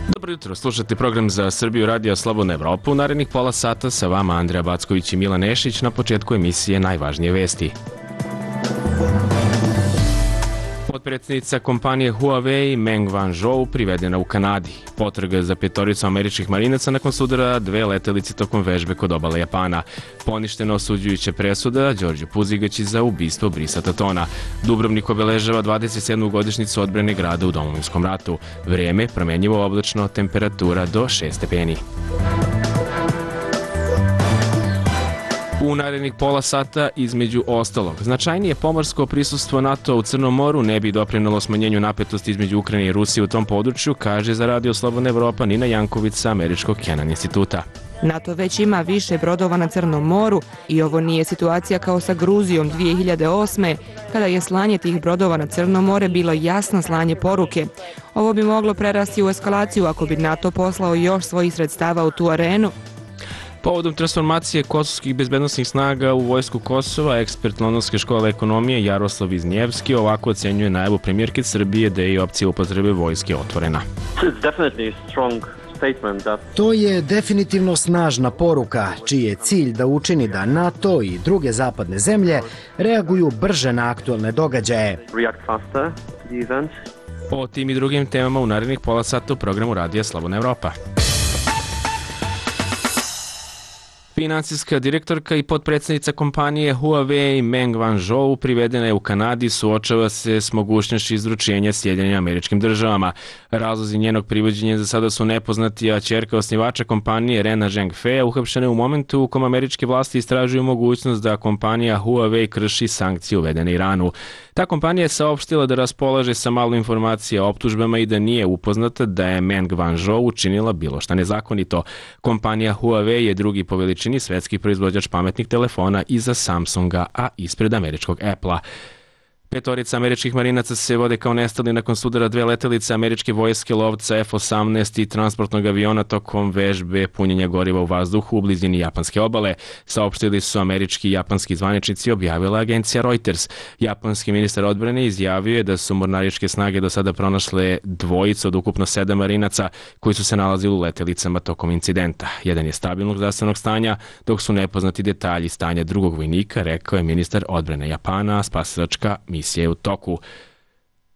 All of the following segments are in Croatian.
Dobro jutro, slušate program za Srbiju Radija Slobodna Evropa. U narednih pola sata sa vama Andreja Backović i Milan Nešić. Na početku emisije najvažnije vesti. Potpredsjednica kompanije Huawei Meng Wanzhou privedena u Kanadi. Potraga za petoricu američkih marinaca nakon sudara 2 letelice tokom vežbe kod obale Japana. Poništena osuđujuća presuda Đorđu Puzigaći za ubistvo Brisa Tatona. Dubrovnik obeležava 27. godišnjicu odbrane grada u Domovinskom ratu. Vrijeme promenjivo oblačno, temperatura do 6 stepeni. U narednih pola sata, između ostalog, značajnije pomorsko prisustvo NATO u Crnom moru ne bi doprinelo smanjenju napetosti između Ukrajine i Rusije u tom području, kaže za Radio Slobodna Evropa Nina Janković sa Američkog Kennan instituta. NATO već ima više brodova na Crnom moru i ovo nije situacija kao sa Gruzijom 2008. kada je slanje tih brodova na Crno more bilo jasno slanje poruke. Ovo bi moglo prerasti u eskalaciju ako bi NATO poslao još svojih sredstava u tu arenu. Povodom transformacije kosovskih bezbednosnih snaga u vojsku Kosova, ekspert Londonske škole ekonomije Jaroslav Viznjevski ovako ocenjuje najavu premijerke Srbije da je i opcija upotrebe vojske otvorena. To je definitivno snažna poruka, čiji je cilj da učini da NATO i druge zapadne zemlje reaguju brže na aktualne događaje. O tim i drugim temama u narednih pola sata u programu Radija Slobodna Evropa. Finansijska direktorka i potpredsjednica kompanije Huawei Meng Wanzhou privedena je u Kanadi, suočava se s mogućnošću izručenja Sjedinjenim Američkim Državama. Razlozi njenog privođenja za sada su nepoznati, a ćerka osnivača kompanije Rena Zhengfei uhapšena je u momentu u kom američke vlasti istražuju mogućnost da kompanija Huawei krši sankcije uvedene Iranu. Ta kompanija je saopštila da raspolaže sa malo informacija o optužbama i da nije upoznata da je Meng Wanzhou učinila bilo šta nezakonito. Kompanija Huawei je drugi po veličini svetski proizvođač pametnih telefona iza Samsunga, a ispred američkog Apple-a. Petorica američkih marinaca se vode kao nestali nakon sudara 2 letelice američke vojske lovca F-18 i transportnog aviona tokom vežbe punjenja goriva u vazduhu u blizini japanske obale. Saopštili su američki i japanski zvaničnici, objavila agencija Reuters. Japanski ministar odbrane izjavio je da su mornaričke snage do sada pronašle dvojicu od ukupno 7 marinaca koji su se nalazili u letelicama tokom incidenta. Jedan je stabilnog zdravstvenog stanja, dok su nepoznati detalji stanja drugog vojnika, rekao je ministar odbrane Japana, spasilačka misija je u toku.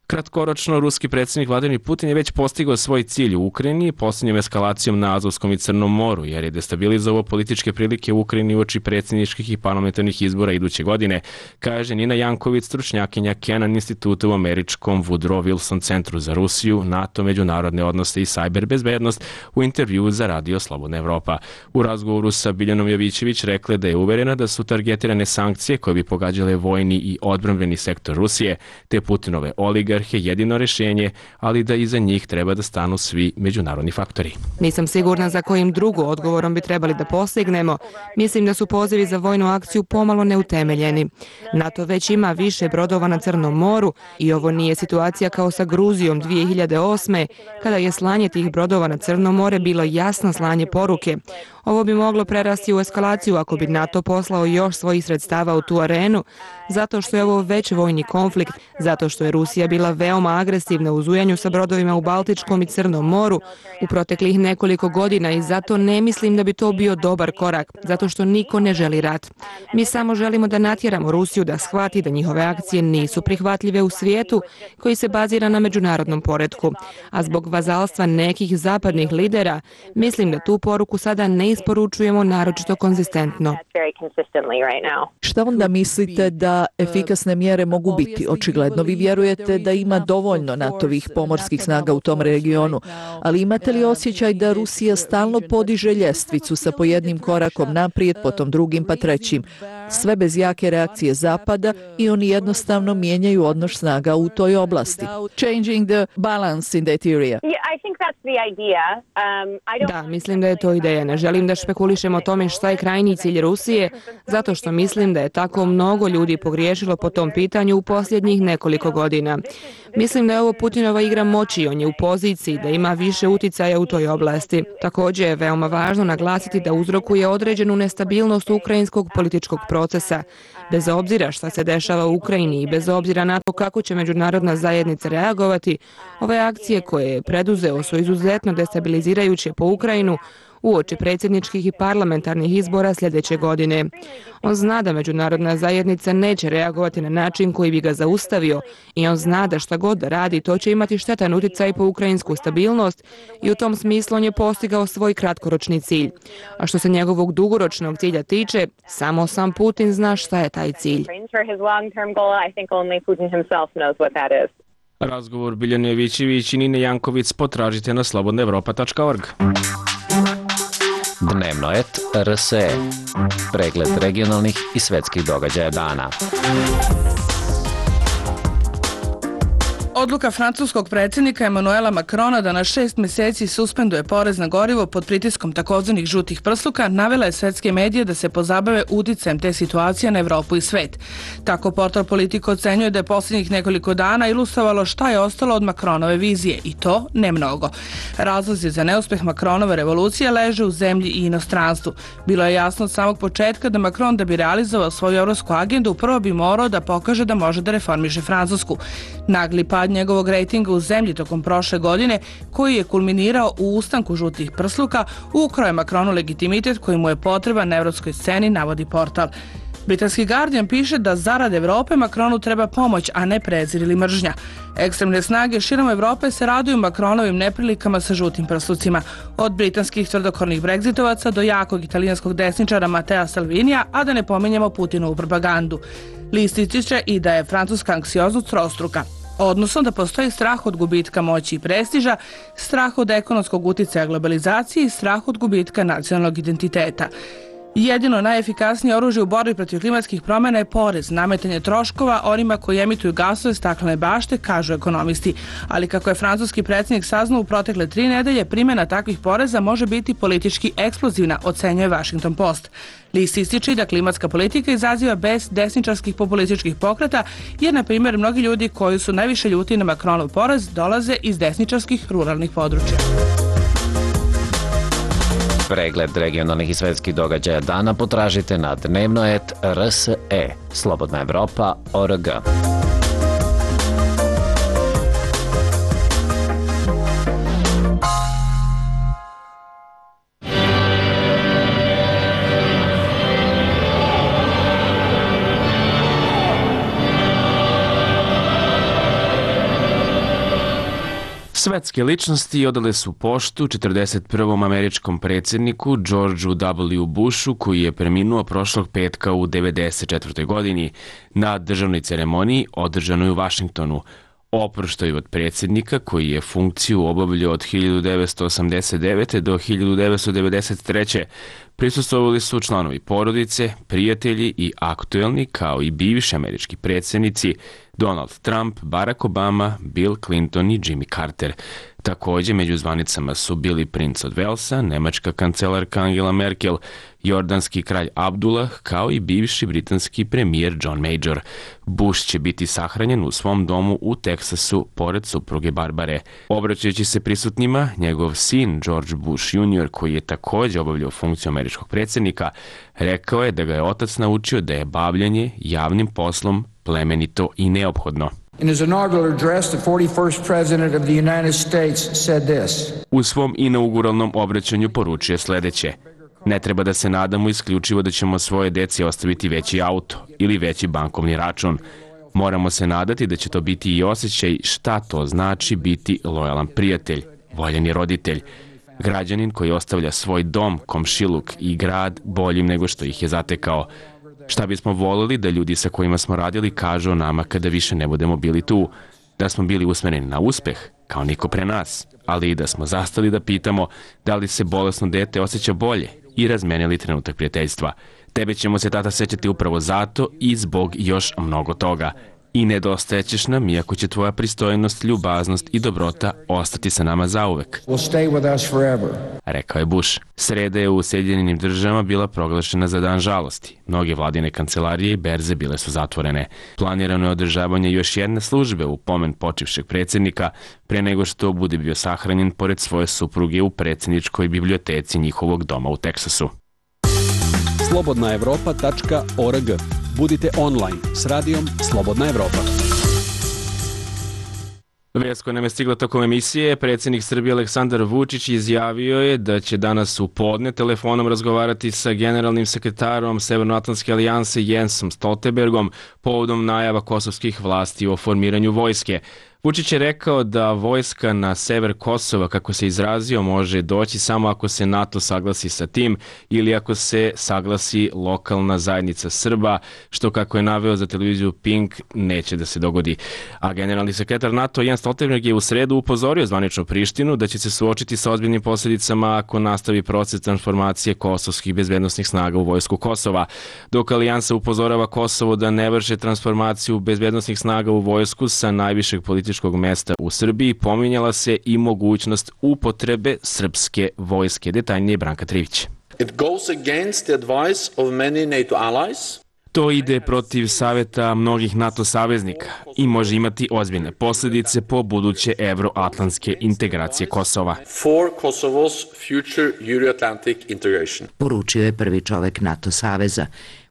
Kratkoročno, ruski predsjednik Vladimir Putin je već postigao svoj cilj u Ukrajini posljednjom eskalacijom na Azovskom i Crnom moru, jer je destabilizovao političke prilike u Ukrajini uoči predsjedničkih i parlamentarnih izbora iduće godine, kaže Nina Janković, stručnjakinja Kennan instituta u američkom Woodrow Wilson centru za Rusiju, NATO, međunarodne odnose i sajber bezbednost u intervjuu za Radio Slobodna Evropa. U razgovoru sa Biljanom Jovićević rekla da je uverena da su targetirane sankcije koje bi pogađale vojni i odbrambeni sektor Rusije, te Putinove oligarhe jedino rješenje, ali da iza njih treba da stanu svi međunarodni faktori. Nisam sigurna za kojim drugo odgovorom bi trebali da postignemo. Mislim da su pozivi za vojnu akciju pomalo neutemeljeni. NATO već ima više brodova na Crnom moru i ovo nije situacija kao sa Gruzijom 2008. kada je slanje tih brodova na Crno more bilo jasno slanje poruke. Ovo bi moglo prerasti u eskalaciju ako bi NATO poslao još svojih sredstava u tu arenu, zato što je ovo već vojni konflikt, zato što je Rusija bila veoma agresivna u zujanju sa brodovima u Baltičkom i Crnom moru u proteklih nekoliko godina i zato ne mislim da bi to bio dobar korak, zato što niko ne želi rat. Mi samo želimo da natjeramo Rusiju da shvati da njihove akcije nisu prihvatljive u svijetu koji se bazira na međunarodnom poretku, a zbog vazalstva nekih zapadnih lidera, mislim da tu poruku sada ne isporučujemo naročito konzistentno. Šta onda mislite da efikasne mjere mogu biti? Očigledno vi vjerujete da ima dovoljno NATO-vih pomorskih snaga u tom regionu, ali imate li osjećaj da Rusija stalno podiže ljestvicu sa po jednim korakom naprijed, potom drugim pa trećim, sve bez jake reakcije Zapada i oni jednostavno mijenjaju odnos snaga u toj oblasti? Da, mislim da je to ideja. Ne želim da špekulišem o tome šta je krajnji cilj Rusije, zato što mislim da je tako mnogo ljudi pogriješilo po tom pitanju u posljednjih nekoliko godina. Mislim da je ovo Putinova igra moći, on je u poziciji da ima više uticaja u toj oblasti. Također je veoma važno naglasiti da uzrokuje određenu nestabilnost ukrajinskog političkog prostora procesa. Bez obzira šta se dešava u Ukrajini i bez obzira na to kako će međunarodna zajednica reagovati, ove akcije koje je preduzeo su izuzetno destabilizirajuće po Ukrajinu uoči predsjedničkih i parlamentarnih izbora sljedeće godine. On zna da međunarodna zajednica neće reagovati na način koji bi ga zaustavio i on zna da šta god da radi to će imati štetan utjecaj po ukrajinsku stabilnost i u tom smislu on je postigao svoj kratkoročni cilj. A što se njegovog dugoročnog cilja tiče, samo sam Putin zna šta je taj cilj. Razgovor Biljane Jovićević i Nine Janković potražite na slobodnaevropa.org. Dnevno et RSE. Pregled regionalnih i svetskih događaja dana. Odluka francuskog predsjednika Emmanuela Macrona da na 6 mjeseci suspenduje porez na gorivo pod pritiskom takozvanih žutih prsluka navela je svetske medije da se pozabave uticajem te situacije na Evropu i svet. Tako portal Politico ocenjuje da je posljednjih nekoliko dana ilustrovalo šta je ostalo od Macronove vizije i to ne mnogo. Razlozi za neuspjeh Macronove revolucije leže u zemlji i inostranstvu. Bilo je jasno od samog početka da Macron da bi realizovao svoju evropsku agendu prvo bi morao da pokaže da može da reformiše Francusku. Nagli pad njegovog rejtinga u zemlji tokom prošle godine, koji je kulminirao u ustanku žutih prsluka, ukrao je Macronu legitimitet koji mu je potreban na evropskoj sceni, navodi portal. Britanski Guardian piše da zarad Evrope Macronu treba pomoć, a ne prezir ili mržnja. Ekstremne snage širom Evrope se raduju Macronovim neprilikama sa žutim prslucima. Od britanskih tvrdokornih bregzitovaca do jakog italijanskog desničara Matea Salvinija, a da ne pominjemo Putinovu propagandu. List ističe i da je francuska anksioznost trostruka. Odnosno da postoji strah od gubitka moći i prestiža, strah od ekonomskog uticaja globalizacije i strah od gubitka nacionalnog identiteta. Jedino najefikasnije oružje u borbi protiv klimatskih promjena je porez, nametanje troškova onima koji emituju gasove staklene bašte, kažu ekonomisti. Ali kako je francuski predsjednik saznao u protekle 3 nedelje, primjena takvih poreza može biti politički eksplozivna, ocenjuje Washington Post. List ističe da klimatska politika izaziva bez desničarskih populističkih pokreta, jer, na primjer, mnogi ljudi koji su najviše ljuti na Macronov porez dolaze iz desničarskih ruralnih područja. Pregled regionalnih i svetskih događaja dana potražite na dnevno et RSE. Slobodnaevropa.org. Svetske ličnosti odale su poštu 41. američkom predsjedniku Georgeu W. Bushu, koji je preminuo prošlog petka u 94. godini na državnoj ceremoniji održanoj u Vašingtonu. Oproštaju od predsjednika, koji je funkciju obavljao od 1989. do 1993. Prisustvovali su članovi porodice, prijatelji i aktuelni, kao i bivši američki predsjednici Donald Trump, Barack Obama, Bill Clinton i Jimmy Carter. Također među zvanicama su bili princ od Velsa, nemačka kancelarka Angela Merkel, jordanski kralj Abdullah, kao i bivši britanski premijer John Major. Bush će biti sahranjen u svom domu u Teksasu pored supruge Barbare. Obraćajući se prisutnima, njegov sin George Bush Jr., koji je također obavljao funkciju američkog predsjednika, rekao je da ga je otac naučio da je bavljanje javnim poslom plemenito i neophodno. In his inaugural address, the 41st President of the United States said this. U svom inauguralnom obraćanju poručuje sljedeće: ne treba da se nadamo isključivo da ćemo svoje deci ostaviti veći auto ili veći bankovni račun. Moramo se nadati da će to biti i osjećaj šta to znači biti lojalan prijatelj, voljeni roditelj, građanin koji ostavlja svoj dom, komšiluk i grad boljim nego što ih je zatekao. Šta bismo volili da ljudi sa kojima smo radili kažu o nama kada više ne budemo bili tu, da smo bili usmjereni na uspeh, kao niko pre nas, ali i da smo zastali da pitamo da li se bolesno dete osjeća bolje i razmenili trenutak prijateljstva. Tebe ćemo se, tata, sećati upravo zato i zbog još mnogo toga. I nedostajećeš nam, iako će tvoja pristojnost, ljubaznost i dobrota ostati sa nama zauvek, rekao je Bush. Sreda je u Sjedinjenim Državama bila proglašena za dan žalosti. Mnoge vladine kancelarije i berze bile su zatvorene. Planirano je održavanje još jedne službe u pomen počivšeg predsjednika, pre nego što bude bio sahranjen pored svoje supruge u predsjedničkoj biblioteci njihovog doma u Teksasu. slobodnaevropa.org. Budite online s radijom Slobodna Evropa. Vest koja nam je stigla tokom emisije, predsjednik Srbije Aleksandar Vučić izjavio je da će danas u podne telefonom razgovarati sa generalnim sekretarom Severnoatlantske alijanse Jensom Stoltenbergom povodom najava kosovskih vlasti o formiranju vojske. Vučić je rekao da vojska na sever Kosova, kako se izrazio, može doći samo ako se NATO saglasi sa tim ili ako se saglasi lokalna zajednica Srba, što, kako je naveo za televiziju Pink, neće da se dogodi. A generalni sekretar NATO Jens Stoltenberg je u sredu upozorio zvaničnu Prištinu da će se suočiti sa ozbiljnim posljedicama ako nastavi proces transformacije kosovskih bezbednosnih snaga u vojsku Kosova. Dok alijansa upozorava Kosovo da ne vrše transformaciju bezbednosnih snaga u vojsku sa najvišeg političkog mesta u Srbiji, pominjala se i mogućnost upotrebe srpske vojske. Detaljnije Branka Trivić. It goes against the advice of many NATO allies. To ide protiv savjeta mnogih NATO saveznika i može imati ozbiljne posljedice po buduće evroatlantske integracije Kosova. For Kosovo's future Euro-Atlantic integration. Poručio je prvi čovek NATO saveza.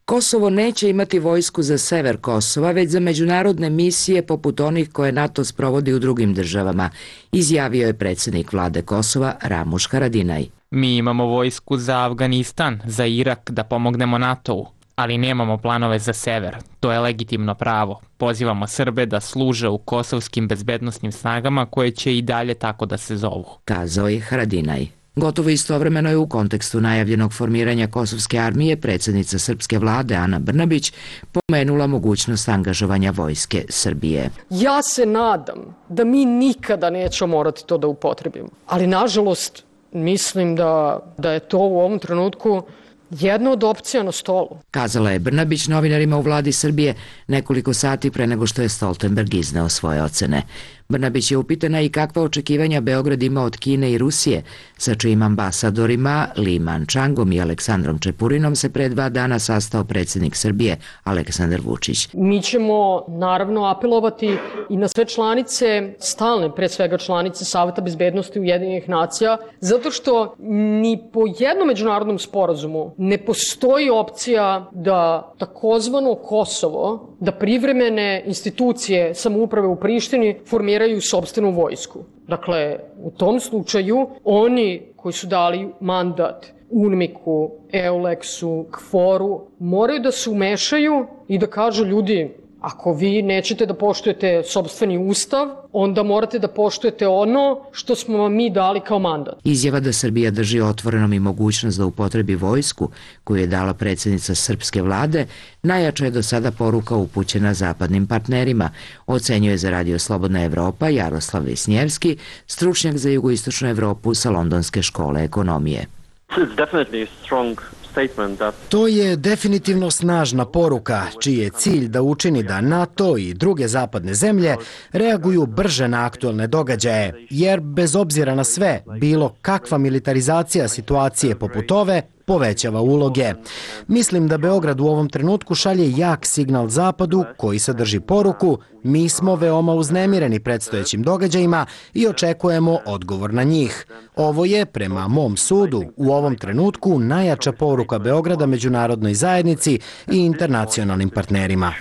Kosovo neće imati vojsku za sever Kosova, već za međunarodne misije poput onih koje NATO sprovodi u drugim državama, izjavio je predsjednik vlade Kosova Ramuš Haradinaj. Mi imamo vojsku za Afganistan, za Irak da pomognemo NATO-u, ali nemamo planove za sever. To je legitimno pravo. Pozivamo Srbe da služe u kosovskim bezbednosnim snagama koje će i dalje tako da se zovu, kazao je Haradinaj. Gotovo istovremeno je u kontekstu najavljenog formiranja kosovske armije predsjednica srpske vlade Ana Brnabić pomenula mogućnost angažovanja vojske Srbije. Ja se nadam da mi nikada nećemo morati to da upotrebimo, ali nažalost mislim da je to u ovom trenutku jedna od opcija na stolu, kazala je Brnabić novinarima u vladi Srbije nekoliko sati pre nego što je Stoltenberg izneo svoje ocene. Brnabić je upitana i kakva očekivanja Beograd ima od Kine i Rusije, sa čijim ambasadorima Li Mančangom i Aleksandrom Čepurinom se pre 2 dana sastao predsjednik Srbije Aleksandar Vučić. Mi ćemo naravno apelovati i na sve članice, stalne pre svega članice Saveta bezbednosti Ujedinjenih nacija, zato što ni po jednom međunarodnom sporazumu ne postoji opcija da takozvano Kosovo, da privremene institucije samouprave u Prištini formiraju sopstvenu vojsku. Dakle, u tom slučaju oni koji su dali mandat UNMIK-u, EULEX-u, KFOR-u moraju da se umešaju i da kažu ljudi, ako vi nećete da poštujete sopstveni ustav, onda morate da poštujete ono što smo vam mi dali kao mandat. Izjava da Srbija drži otvorenom i mogućnost da upotrebi vojsku koju je dala predsjednica srpske vlade najjača je do sada poruka upućena zapadnim partnerima, ocenjuje za Radio Slobodna Evropa Jaroslav Visnjevski, stručnjak za jugoistočnu Evropu sa Londonske škole ekonomije. To je definitivno snažna poruka, čiji je cilj da učini da NATO i druge zapadne zemlje reaguju brže na aktuelne događaje, jer bez obzira na sve, bilo kakva militarizacija situacije poput ove povećava uloge. Mislim da Beograd u ovom trenutku šalje jak signal Zapadu koji sadrži poruku: mi smo veoma uznemireni predstojećim događajima i očekujemo odgovor na njih. Ovo je, prema mom sudu, u ovom trenutku najjača poruka Beograda međunarodnoj zajednici i internacionalnim partnerima.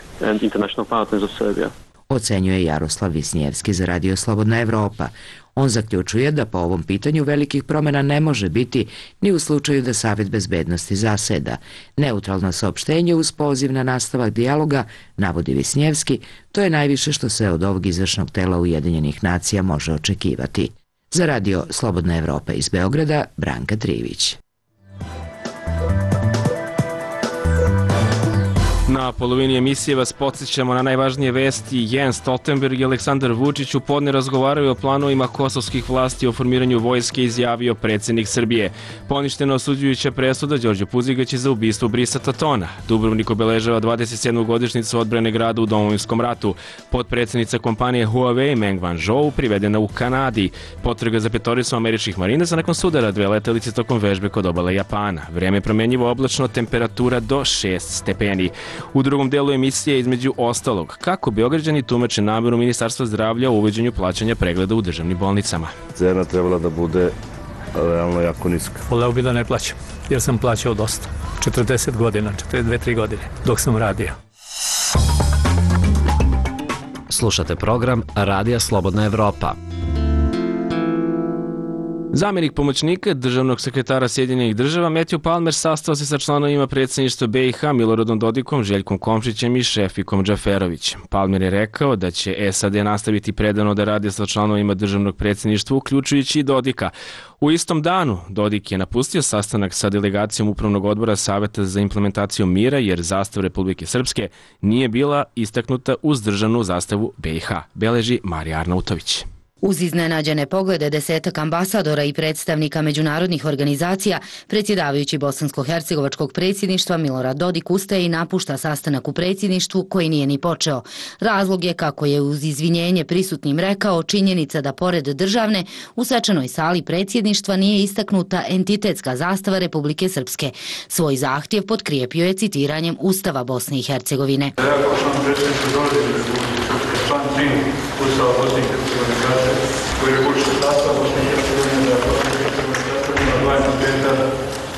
Ocenjuje Jaroslav Visnjevski za Radio Slobodna Evropa. On zaključuje da po ovom pitanju velikih promjena ne može biti ni u slučaju da Savet bezbednosti zaseda. Neutralno saopštenje uz poziv na nastavak dijaloga, navodi Visnjevski, to je najviše što se od ovog izvršnog tela Ujedinjenih nacija može očekivati. Za Radio Slobodna Evropa iz Beograda, Branka Trivić. Na polovini emisije vas podsjećamo na najvažnije vesti. Jens Stoltenberg i Aleksandar Vučić u podne razgovaraju o planovima kosovskih vlasti o formiranju vojske, izjavio predsjednik Srbije. Poništena osuđujuća presuda Đorđe Puzigaća za ubistvo Brisa Tatona. Dubrovnik obeležava 27. godišnjicu odbrane grada u Domovinskom ratu. Potpredsjednica kompanije Huawei Meng Wanzhou privedena u Kanadi. Potraga za petoricom američkih marinaca nakon sudara 2 letelice tokom vežbe kod obale Japana. Vreme je promjenjivo oblačno, temperatura do 6 stepeni. U drugom delu emisije, između ostalog, kako Beograđani tumače nameru Ministarstva zdravlja o uvođenju plaćanja pregleda u državnim bolnicama. Cena trebala da bude realno jako niska. Voleo bi da ne plaćam, jer sam plaćao dosta. 40 godina, 42-3 godine, dok sam radio. Slušate program Radija Slobodna Evropa. Zamjenik pomoćnika državnog sekretara Sjedinjenih država Matthew Palmer sastao se sa članovima predsjedništva BiH Miloradom Dodikom, Željkom Komšićem i Šefikom Džaferovićem. Palmer je rekao da će SAD nastaviti predano da radi sa članovima državnog predsjedništva, uključujući i Dodika. U istom danu Dodik je napustio sastanak sa delegacijom Upravnog odbora Saveta za implementaciju mira jer zastava Republike Srpske nije bila istaknuta uz državnu zastavu BiH, beleži Marija Arnautović. Uz iznenađene poglede desetak ambasadora i predstavnika međunarodnih organizacija, predsjedavajući bosansko-hercegovačkog predsjedništva Milorad Dodik ustaje i napušta sastanak u predsjedništvu koji nije ni počeo. Razlog je, kako je uz izvinjenje prisutnim rekao, činjenica da pored državne u svečanoj sali predsjedništva nije istaknuta entitetska zastava Republike Srpske. Svoj zahtjev potkrijepio je citiranjem Ustava Bosne i Hercegovine. Ustava Bosne i Hercegovine kaže koji reguliše sastav Bosne i Hercegovine za dva entiteta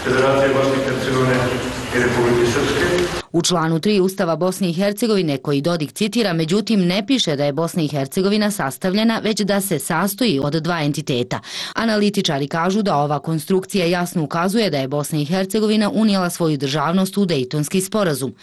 Federacije Bosne i Hercegovine i Republike Srpske. U članu 3 Ustava Bosne i Hercegovine, koji Dodik citira, međutim ne piše da je Bosna i Hercegovina sastavljena, već da se sastoji od dva entiteta. Analitičari kažu da ova konstrukcija jasno ukazuje da je Bosna i Hercegovina unijela svoju državnost u Dejtonski sporazum.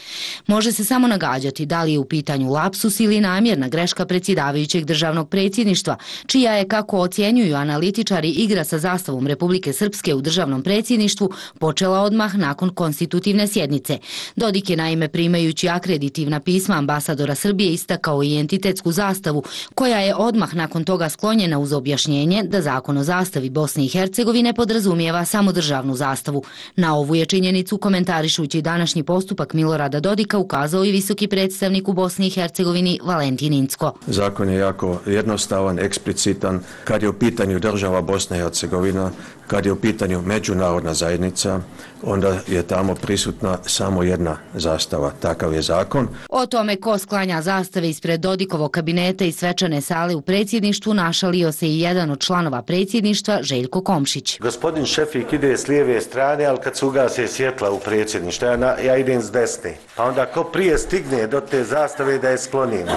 Može se samo nagađati da li je u pitanju lapsus ili namjerna greška predsjedavajućeg državnog predsjedništva, čija je, kako ocjenjuju analitičari, igra sa zastavom Republike Srpske u državnom predsjedništvu počela odmah nakon konstitutivne sjednice. Dodik je naime, primajući akreditivna pisma ambasadora Srbije, istakao i entitetsku zastavu, koja je odmah nakon toga sklonjena uz objašnjenje da zakon o zastavi Bosne i Hercegovine podrazumijeva samo državnu zastavu. Na ovu je činjenicu, komentarišući današnji postupak Milorada Dodika, ukazao i visoki predstavnik u Bosni i Hercegovini Valentin Incko. Zakon je jako jednostavan, eksplicitan. Kad je u pitanju država Bosna i Hercegovina, kad je u pitanju međunarodna zajednica, onda je tamo prisutna samo jedna zastava. Takav je zakon. O tome ko sklanja zastave ispred Dodikovog kabineta i svečane sale u predsjedništvu našalio se i jedan od članova predsjedništva, Željko Komšić. Gospodin Šefik ide s lijeve strane, ali kad se ugase svjetla u predsjedništvu, ja idem s desne. Pa onda ko prije stigne do te zastave da je sklonimo.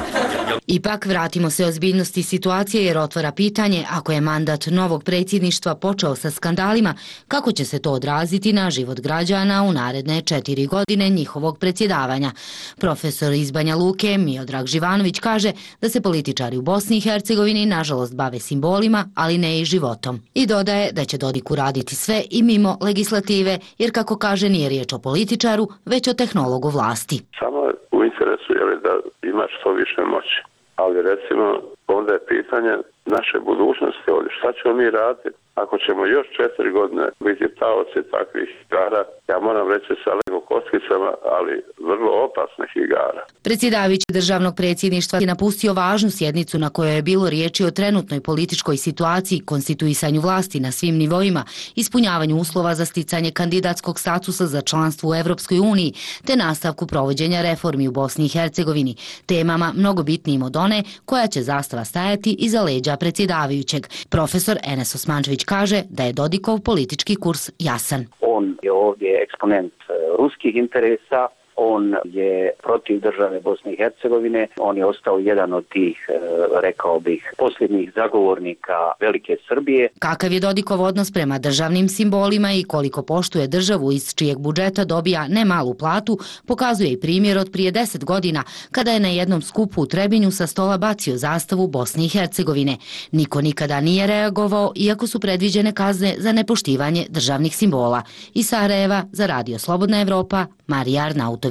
Ipak vratimo se ozbiljnosti situacije jer otvara pitanje, ako je mandat novog predsjedništva počeo sa skandalima, kako će se to odraziti na život građana u naredne 4 godine njihovog predsjedavanja. Profesor iz Banja Luke Miodrag Živanović kaže da se političari u Bosni i Hercegovini nažalost bave simbolima, ali ne i životom. I dodaje da će Dodik uraditi sve i mimo legislative, jer kako kaže nije riječ o političaru, već o tehnologu vlasti. Samo u interesu je da ima što više moći. Ali recimo, onda je pitanje naše budućnosti ovdje. Šta ćemo mi raditi ako ćemo još 4 godine biti taoci takvih igara? Ja moram reći sa lego kockicama, ali vrlo opasnih igara. Predsjedavajući državnog predsjedništva je napustio važnu sjednicu na kojoj je bilo riječi o trenutnoj političkoj situaciji, konstituisanju vlasti na svim nivoima, ispunjavanju uslova za sticanje kandidatskog statusa za članstvo u Evropskoj uniji, te nastavku provođenja reformi u Bosni i Hercegovini, temama mnogo bitnijim od one koja će zastava stajati iza leđa predsjedavajućeg. Profesor Enes Osmančević kaže da je Dodikov politički kurs jasan. On je ovdje eksponent ruskih interesa, on je protiv države Bosne i Hercegovine, on je ostao jedan od tih, rekao bih, posljednjih zagovornika velike Srbije. Kakav je Dodikov odnos prema državnim simbolima i koliko poštuje državu iz čijeg budžeta dobija nemalu platu, pokazuje i primjer od prije 10 godina, kada je na jednom skupu u Trebinju sa stola bacio zastavu Bosne i Hercegovine. Niko nikada nije reagovao, iako su predviđene kazne za nepoštivanje državnih simbola. Iz Sarajeva za Radio Slobodna Evropa, Marija Arnautović.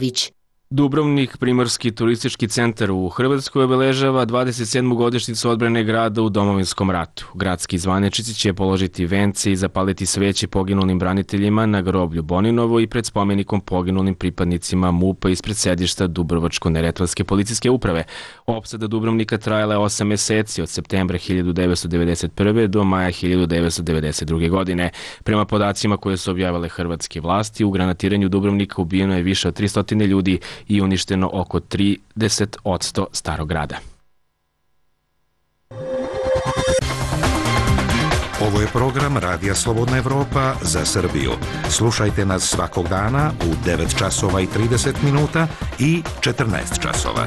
Dubrovnik, primorski turistički centar u Hrvatskoj, obeležava 27. godišnjicu odbrane grada u Domovinskom ratu. Gradski zvaničnici će položiti vence i zapaliti sveće poginulim braniteljima na groblju Boninovo i pred spomenikom poginulim pripadnicima MUP-a ispred sedišta Dubrovačko-neretvanske policijske uprave. Opsada Dubrovnika trajala je 8 meseci od septembra 1991. do maja 1992. godine. Prema podacima koje su objavile hrvatske vlasti, u granatiranju Dubrovnika ubijeno je više od 300 ljudi i uništeno oko 30% starog grada. Ovo je program Radija Slobodna Evropa za Srbiju. Slušajte nas svakog dana u 9 časova i 30 minuta i 14 časova.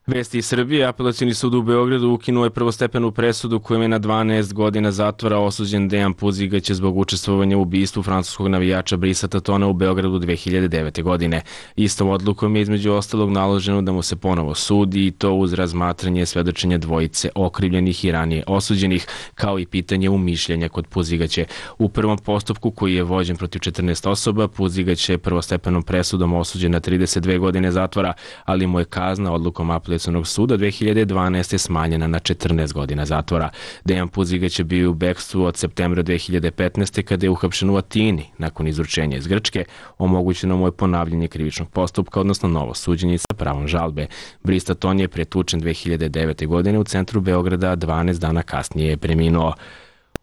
Vesti iz Srbije. Apelacioni sud u Beogradu ukinuo je prvostepenu presudu kojom je na 12 godina zatvora osuđen Dejan Puzigać zbog učestvovanja u ubistvu francuskog navijača Brisa Tatona u Beogradu 2009. godine. Istom odlukom je između ostalog naloženo da mu se ponovo sudi i to uz razmatranje svedočenja dvojice okrivljenih i ranije osuđenih, kao i pitanje umišljenja kod Puzigaća. U prvom postupku koji je vođen protiv 14 osoba, Puzigać je prvostepenom presudom osuđen na 32 godine zatvora, ali mu je kazna odlukom apelacionog suda 2012. smanjena na 14 godina zatvora. Dejan Puzigać je bio u bekstvu od septembra 2015. kada je uhapšen u Atini nakon izručenja iz Grčke. Omogućeno mu je ponavljanje krivičnog postupka, odnosno novo suđenje sa pravom žalbe. Bris Taton je pretučen 2009. godine u centru Beograda, a 12 dana kasnije je preminuo.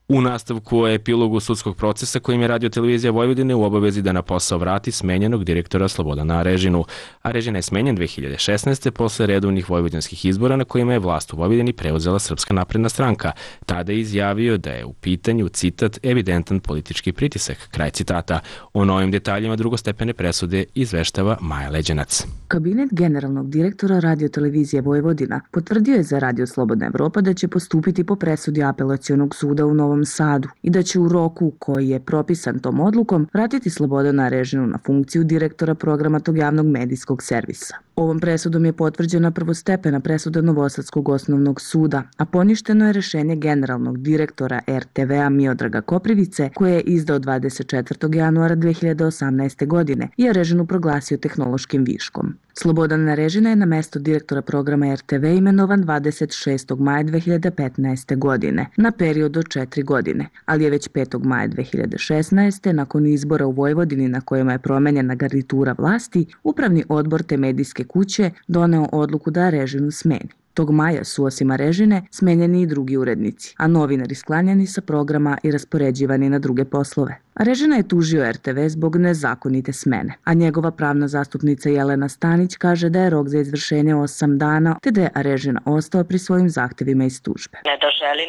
U nastavku o epilogu sudskog procesa kojim je Radio Televizija Vojvodine u obavezi da na posao vrati smenjenog direktora Slobodana Arežinu. Arežina je smenjen 2016. posle redovnih vojvođanskih izbora na kojima je vlast u Vojvodini preuzela Srpska napredna stranka. Tada je izjavio da je u pitanju, citat, evidentan politički pritisak, kraj citata. O novim detaljima drugostepene presude izveštava Maja Leđenac. Kabinet generalnog direktora Radio Televizije Vojvodina potvrdio je za Radio Slobodna Evropa da će postupiti po presudi apelacionog suda u Novom Sadu i da će u roku koji je propisan tom odlukom vratiti Slobodana Arežinu na funkciju direktora programa tog javnog medijskog servisa. Ovom presudom je potvrđena prvostepena presuda Novosadskog osnovnog suda, a poništeno je rešenje generalnog direktora RTV-a Miodraga Koprivice koje je izdao 24. januara 2018. godine i Arežinu proglasio tehnološkim viškom. Slobodan Arežina je na mesto direktora programa RTV imenovan 26. maja 2015. godine na period od 4 godine, ali je već 5. maja 2016. nakon izbora u Vojvodini na kojima je promenjena garnitura vlasti, upravni odbor te medijske kuće doneo odluku da Arežinu smeni. Tog maja su osim Arežine smenjeni i drugi urednici, a novinari sklanjani sa programa i raspoređivani na druge poslove. Arežina je tužio RTV zbog nezakonite smene, a njegova pravna zastupnica Jelena Stanić kaže da je rok za izvršenje 8 dana, te da je Arežina ostao pri svojim zahtevima iz tužbe. Ne da želi,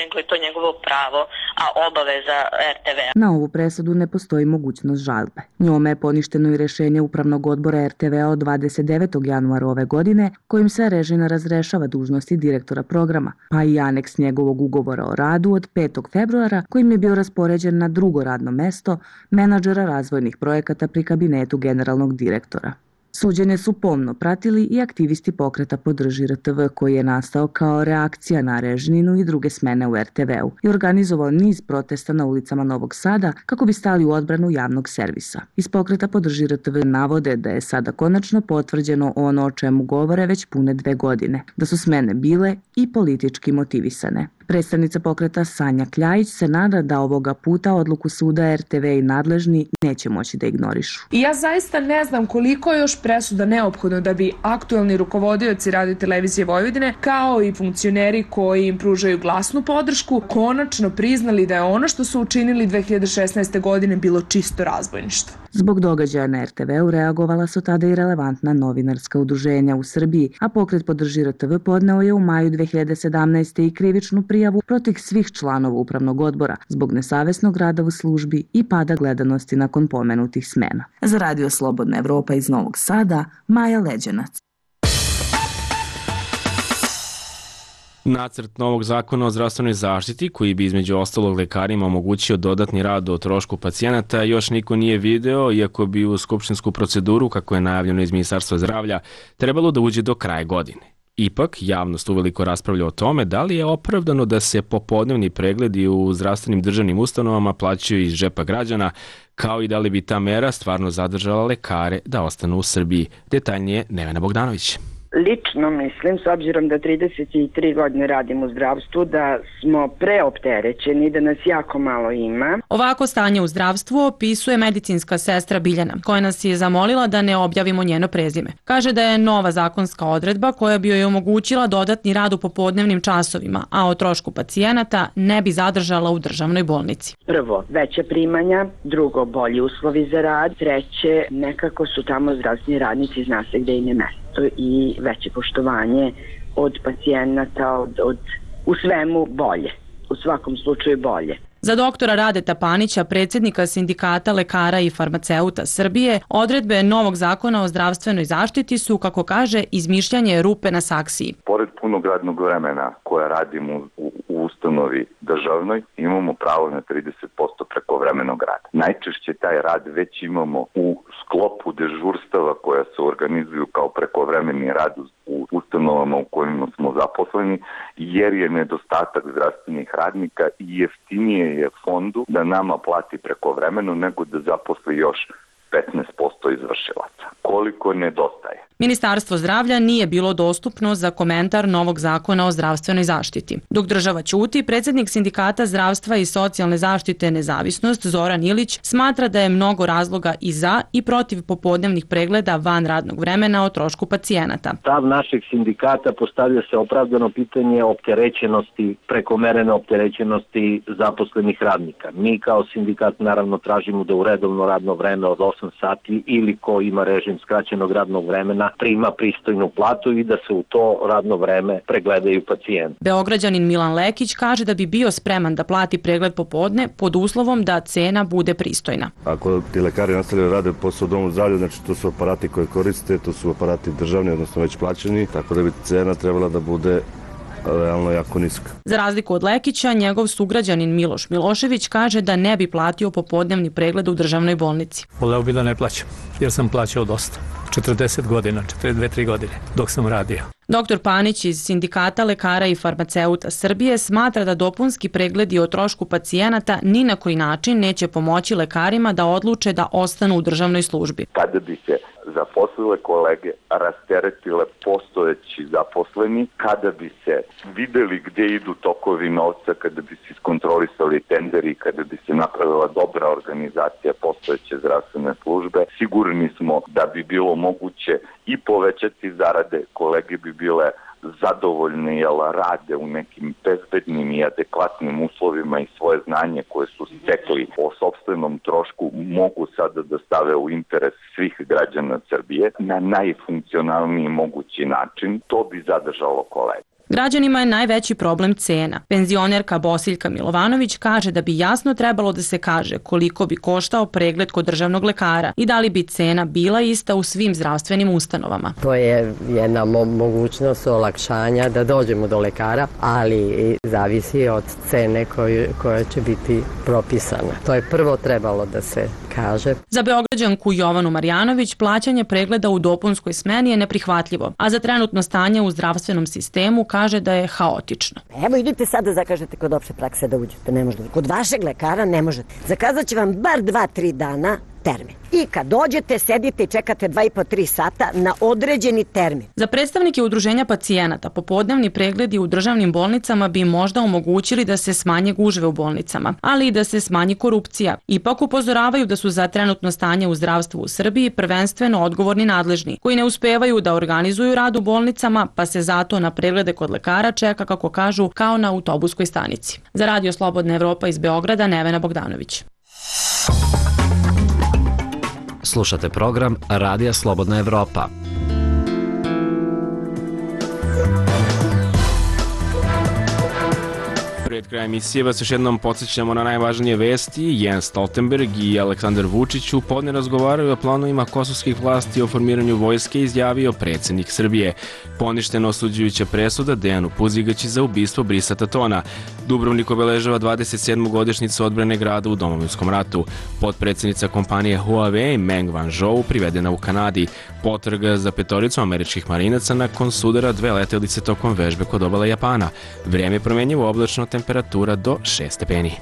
nego je to njegovo pravo, a obaveza RTV. Na ovu presudu ne postoji mogućnost žalbe. Njome je poništeno i rešenje Upravnog odbora RTV-a od 29. januara ove godine, kojim se Arežina razrešava dužnosti direktora programa, pa i aneks njegovog ugovora o radu od 5. februara, kojim je bio raspoređen na drugo radno mesto menadžera razvojnih projekata pri kabinetu generalnog direktora. Suđenje su pomno pratili i aktivisti pokreta Podrži RTV koji je nastao kao reakcija na Arežninu i druge smene u RTV-u i organizovao niz protesta na ulicama Novog Sada kako bi stali u odbranu javnog servisa. Iz pokreta Podrži RTV navode da je sada konačno potvrđeno ono o čemu govore već pune 2 godine, da su smene bile i politički motivisane. Predstavnica pokreta Sanja Kljajić se nada da ovoga puta odluku suda RTV i nadležni neće moći da ignorišu. I ja zaista ne znam koliko je još presuda neophodno da bi aktuelni rukovodioci Radio Televizije Vojvodine, kao i funkcioneri koji im pružaju glasnu podršku, konačno priznali da je ono što su učinili 2016. godine bilo čisto razbojništvo. Zbog događaja na RTV-u reagovala su tada i relevantna novinarska udruženja u Srbiji, a pokret Podrži RTV podneo je u maju 2017. i krivičnu prijavu protiv svih članova upravnog odbora zbog nesavesnog rada u službi i pada gledanosti nakon pomenutih smena. Za Radio Slobodna Evropa iz Novog Sada, Maja Leđenac. Nacrt novog zakona o zdravstvenoj zaštiti, koji bi između ostalog lekarima omogućio dodatni rad o trošku pacijenata, još niko nije video, iako bi u skupštinsku proceduru, kako je najavljeno iz Ministarstva zdravlja, trebalo da uđe do kraja godine. Ipak, javnost uveliko raspravlja o tome da li je opravdano da se popodnevni pregledi u zdravstvenim državnim ustanovama plaćaju iz džepa građana, kao i da li bi ta mera stvarno zadržala lekare da ostanu u Srbiji. Detaljnije Nevena Bogdanović. Lično mislim, s obzirom da 33 godine radim u zdravstvu, da smo preopterećeni, da nas jako malo ima. Ovako stanje u zdravstvu opisuje medicinska sestra Biljana, koja nas je zamolila da ne objavimo njeno prezime. Kaže da je nova zakonska odredba koja bi joj omogućila dodatni rad u popodnevnim časovima, a o trošku pacijenata ne bi zadržala u državnoj bolnici. Prvo, veća primanja, drugo, bolji uslovi za rad, treće, nekako su tamo zdravstveni radnici, zna se gde im je mesto. i veće poštovanje od pacijenata, u svemu bolje, u svakom slučaju bolje. Za doktora Radeta Panića, predsjednika Sindikata lekara i farmaceuta Srbije, odredbe novog zakona o zdravstvenoj zaštiti su, kako kaže, izmišljanje rupe na saksiji. Pored punog radnog vremena koje radimo u ustanovi državnoj, imamo pravo na 30% prekovremenog rada. Najčešće taj rad već imamo u sklopu dežurstava koja se organizuju kao prekovremeni rad u ustanovama u kojima smo zaposleni, jer je nedostatak zdravstvenih radnika i jeftinije je fondu da nama plati prekovremeno nego da zaposli još 15% izvršilaca. Koliko nedostaje? Ministarstvo zdravlja nije bilo dostupno za komentar novog zakona o zdravstvenoj zaštiti. Dok država ćuti, predsjednik Sindikata zdravstva i socijalne zaštite Nezavisnost Zoran Ilić smatra da je mnogo razloga i za i protiv popodnevnih pregleda van radnog vremena o trošku pacijenata. Stav našeg sindikata postavlja se opravdano pitanje opterećenosti, prekomerene opterećenosti zaposlenih radnika. Mi kao sindikat naravno tražimo da u redovno radno vreme od 8 sati ili ko ima režim skraćenog radnog vremena prima pristojnu platu i da se u to radno vreme pregledaju pacijenti. Beograđanin Milan Lekić kaže da bi bio spreman da plati pregled popodne pod uslovom da cena bude pristojna. Ako ti lekari nastavljaju rade posao u domu zdravlja, znači to su aparati koje koriste, to su aparati državni, odnosno već plaćeni, tako da bi cena trebala da bude realno jako niska. Za razliku od Lekića, njegov sugrađanin Miloš Milošević kaže da ne bi platio popodnevni pregled u državnoj bolnici. Voleo bi da ne plaćam, jer sam plaćao dosta. 40 godina, 42-3 godine, dok sam radio. Doktor Panić iz Sindikata lekara i farmaceuta Srbije smatra da dopunski pregledi o trošku pacijenata ni na koji način neće pomoći lekarima da odluče da ostanu u državnoj službi. Kada bi se zaposlile kolege rasteretile postojeći zaposleni, kada bi se videli gdje idu tokovi novca, kada bi se iskontrolisali tenderi, kada bi se napravila dobra organizacija postojeće zdravstvene službe, sigurni smo da bi bilo moguće i povećati zarade, kolege bi bile zadovoljne jer rade u nekim bezbednim i adekvatnim uslovima i svoje znanje koje su stekli o sopstvenom trošku mogu sada da stave u interes svih građana Srbije na najfunkcionalniji mogući način. To bi zadržalo kolege. Građanima je najveći problem cena. Penzionerka Bosiljka Milovanović kaže da bi jasno trebalo da se kaže koliko bi koštao pregled kod državnog lekara i da li bi cena bila ista u svim zdravstvenim ustanovama. To je jedna mogućnost olakšanja da dođemo do lekara, ali zavisi od cene koja će biti propisana. To je prvo trebalo da se kaže. Za Beograđanku Jovanu Marjanović plaćanje pregleda u dopunskoj smeni je neprihvatljivo, a za trenutno stanje u zdravstvenom sistemu kaže da je haotično. Evo idite sad da zakažete kod opšte prakse da uđete, ne možete. Kod vašeg lekara ne možete. Zakazat će vam bar 2-3 dana termin. I kad dođete, sedite i čekate 2,5-3 sata na određeni termin. Za predstavnike udruženja pacijenata, popodnevni pregledi u državnim bolnicama bi možda omogućili da se smanje gužve u bolnicama, ali i da se smanji korupcija. Ipak upozoravaju da su za trenutno stanje u zdravstvu u Srbiji prvenstveno odgovorni nadležni, koji ne uspevaju da organizuju rad u bolnicama, pa se zato na preglede kod lekara čeka, kako kažu, kao na autobuskoj stanici. Za Radio Slobodna Evropa iz Beograda, Nevena Bogdanović. Slušate program Radija Slobodna Evropa. Pred krajem emisije vas još jednom podsjećamo na najvažnije vesti. Jens Stoltenberg i Aleksandar Vučić u podne razgovaraju o planovima kosovskih vlasti o formiranju vojske, izjavio predsjednik Srbije. Poništena osuđujuća presuda Dejanu Puzigaći za ubistvo Brisa Tatona. Dubrovnik obeležava 27. godišnjicu odbrane grada u Domovinskom ratu. Potpredsjednica kompanije Huawei Meng Wanzhou privedena u Kanadi. Potraga za petoricu američkih marinaca nakon sudara 2 letelice tokom vežbe kod obale Japana. Vrijeme je promjenjivo, oblačno, temperatura do 6 stepeni.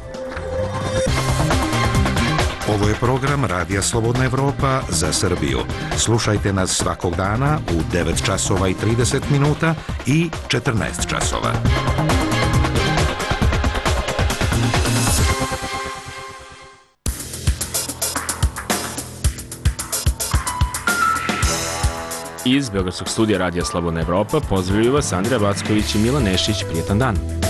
Ovo je program Radija Slobodna Evropa za Srbiju. Slušajte nas svakog dana u 9 časova i 30 minuta i 14 časova. Iz Beogradskog studija Radija Slobodna Evropa pozdravljaju vas Andrija Backović i Milan Nešić. Prijetan dan.